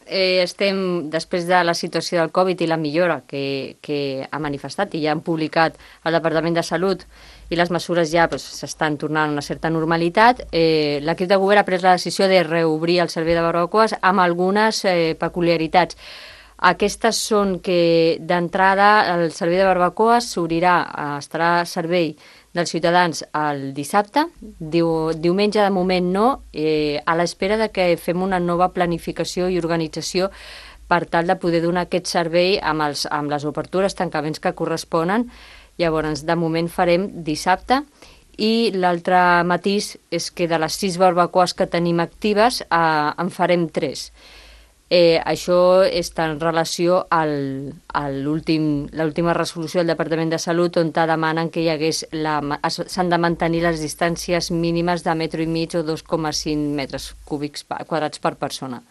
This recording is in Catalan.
estem, després de la situació del Covid i la millora que ha manifestat i ja han publicat el Departament de Salut i les mesures ja s'estan tornant a una certa normalitat, l'equip de govern ha pres la decisió de reobrir el servei de barbacoes amb algunes peculiaritats. Aquestes són que d'entrada el servei de barbacoes estarà a servei dels ciutadans el dissabte, diumenge de moment no, a l'espera de que fem una nova planificació i organització per tal de poder donar aquest servei amb les obertures, tancaments que corresponen. Llavors, de moment farem dissabte i l'altre matís és que de les 6 barbacoes que tenim actives en farem 3. Això està en relació a l'última resolució del Departament de Salut on demanen que s'han de mantenir les distàncies mínimes de 1,5 metre o 2,5 metres cúbics quadrats per persona.